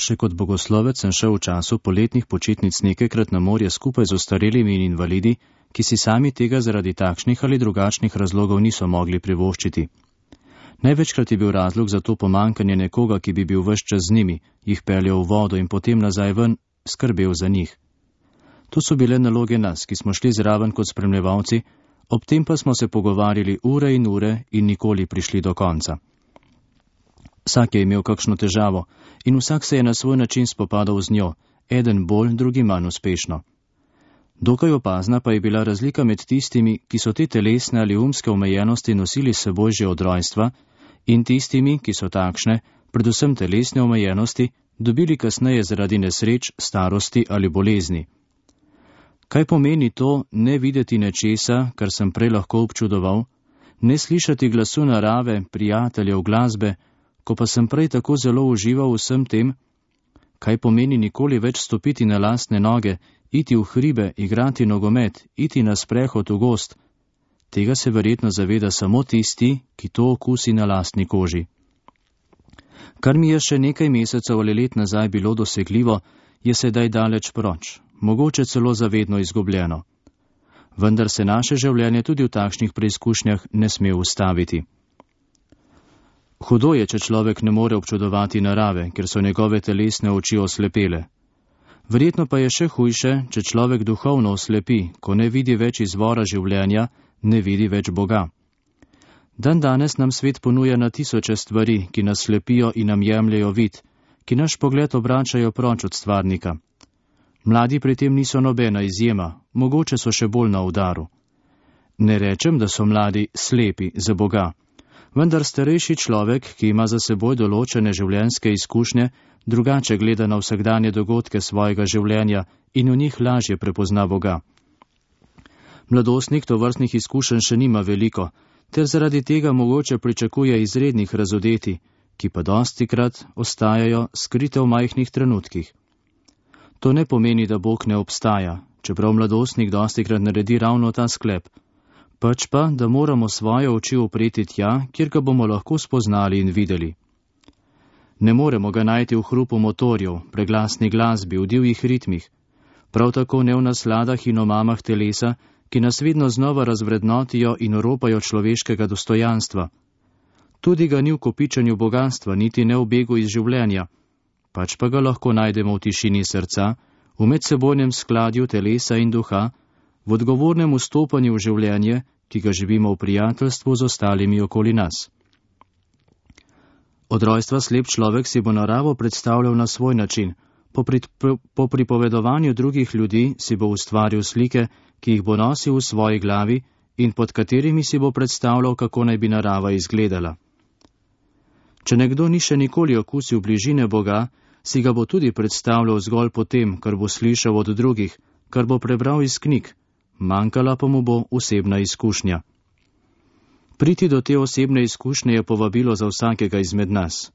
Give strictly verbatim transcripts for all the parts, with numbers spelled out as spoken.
Še kot bogoslovec sem šel v času poletnih počitnic nekajkrat na morje skupaj z ostarelimi in invalidi, ki si sami tega zaradi takšnih ali drugačnih razlogov niso mogli privoščiti. Največkrat je bil razlog za to pomankanje nekoga, ki bi bil ves čas z njimi, jih peljal v vodo in potem nazaj ven skrbel za njih. To so bile naloge nas, ki smo šli zraven kot spremljevalci, ob tem pa smo se pogovarjali ure in ure in nikoli prišli do konca. Vsak je imel kakšno težavo in vsak se je na svoj način spopadal z njo, eden bolj, drugi manj uspešno. Dokaj opazna pa je bila razlika med tistimi, ki so te telesne ali umske omejenosti nosili s seboj že od rojstva, in tistimi, ki so takšne, predvsem telesne omejenosti, dobili kasneje zaradi nesreč, starosti ali bolezni. Kaj pomeni to ne videti nečesa, kar sem prej lahko občudoval, ne slišati glasu narave, prijateljev, glasbe, ko pa sem prej tako zelo užival vsem tem? Kaj pomeni nikoli več stopiti na lastne noge, iti v hribe, igrati nogomet, iti na sprehod v gozd? Tega se verjetno zaveda samo tisti, ki to okusi na lastni koži. Kar mi je še nekaj mesecev ali let nazaj bilo dosegljivo, je sedaj daleč proč, mogoče celo zavedno izgubljeno. Vendar se naše življenje tudi v takšnih preizkušnjah ne sme ustaviti. Hudo je, če človek ne more občudovati narave, ker so njegove telesne oči oslepele. Verjetno pa je še hujše, če človek duhovno oslepi, ko ne vidi več izvora življenja, ne vidi več Boga. Dan danes nam svet ponuja na tisoče stvari, ki nas slepijo in nam jemljejo vid, ki naš pogled obračajo proč od stvarnika. Mladi pri tem niso nobena izjema, mogoče so še bolj na udaru. Ne rečem, da so mladi slepi za Boga, vendar starejši človek, ki ima za seboj določene življenjske izkušnje, drugače gleda na vsakdanje dogodke svojega življenja in v njih lažje prepozna Boga. Mladostnik tovrstnih izkušenj še nima veliko, ter zaradi tega mogoče pričakuje izrednih razodeti, ki pa dostikrat ostajajo skrite v majhnih trenutkih. To ne pomeni, da Bog ne obstaja, čeprav mladostnik dostikrat naredi ravno ta sklep, pač pa, da moramo svoje oči upreti tja, kjer ga bomo lahko spoznali in videli. Ne moremo ga najti v hrupu motorjev, preglasni glasbi, v divjih ritmih, prav tako ne v nasladah in omamah telesa, ki nas vedno znova razvrednotijo in oropajo človeškega dostojanstva. Tudi ga ni v kopičenju bogastva, niti ne v begu iz življenja, pač pa ga lahko najdemo v tišini srca, v medsebojnem skladju telesa in duha, v odgovornem vstopanju v življenje, ki ga živimo v prijateljstvu z ostalimi okoli nas. Od rojstva slep človek si bo naravo predstavljal na svoj način, po, pri, po pripovedovanju drugih ljudi si bo ustvaril slike, ki jih bo nosil v svoji glavi in pod katerimi si bo predstavljal, kako naj bi narava izgledala. Če nekdo ni še nikoli okusil bližine Boga, si ga bo tudi predstavljal zgolj po tem, kar bo slišal od drugih, kar bo prebral iz knjig, manjkala pa mu bo osebna izkušnja. Priti do te osebne izkušnje je povabilo za vsakega izmed nas.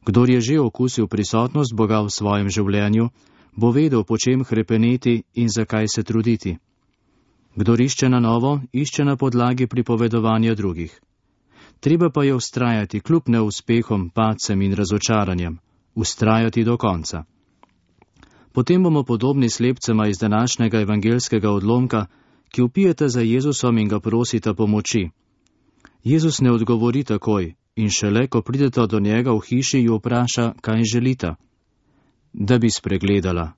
Kdor je že okusil prisotnost Boga v svojem življenju, bo vedel, po čem hrepeneti in zakaj se truditi. Kdor išče na novo, išče na podlagi pripovedovanja drugih. Treba pa je vztrajati kljub neuspehom, padcem in razočaranjem, vztrajati do konca. Potem bomo podobni slepcema iz današnjega evangelskega odlomka, ki vpijete za Jezusom in ga prosita pomoči. Jezus ne odgovori takoj in šele, ko prideta do njega v hiši, jo vpraša, kaj želita. Da bi spregledala.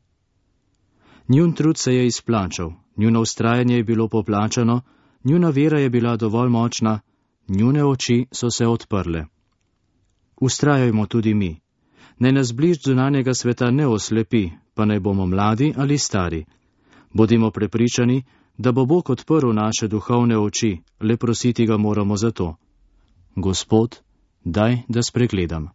Njun trud se je izplačal, njuno vztrajanje je bilo poplačano, njuna vera je bila dovolj močna, njune oči so se odprle. Vztrajajmo tudi mi. Naj nas bližd zunanjega sveta ne oslepi, pa naj bomo mladi ali stari. Bodimo prepričani, da bo Bog odprl naše duhovne oči, le prositi ga moramo za to. Gospod, daj, da spregledam.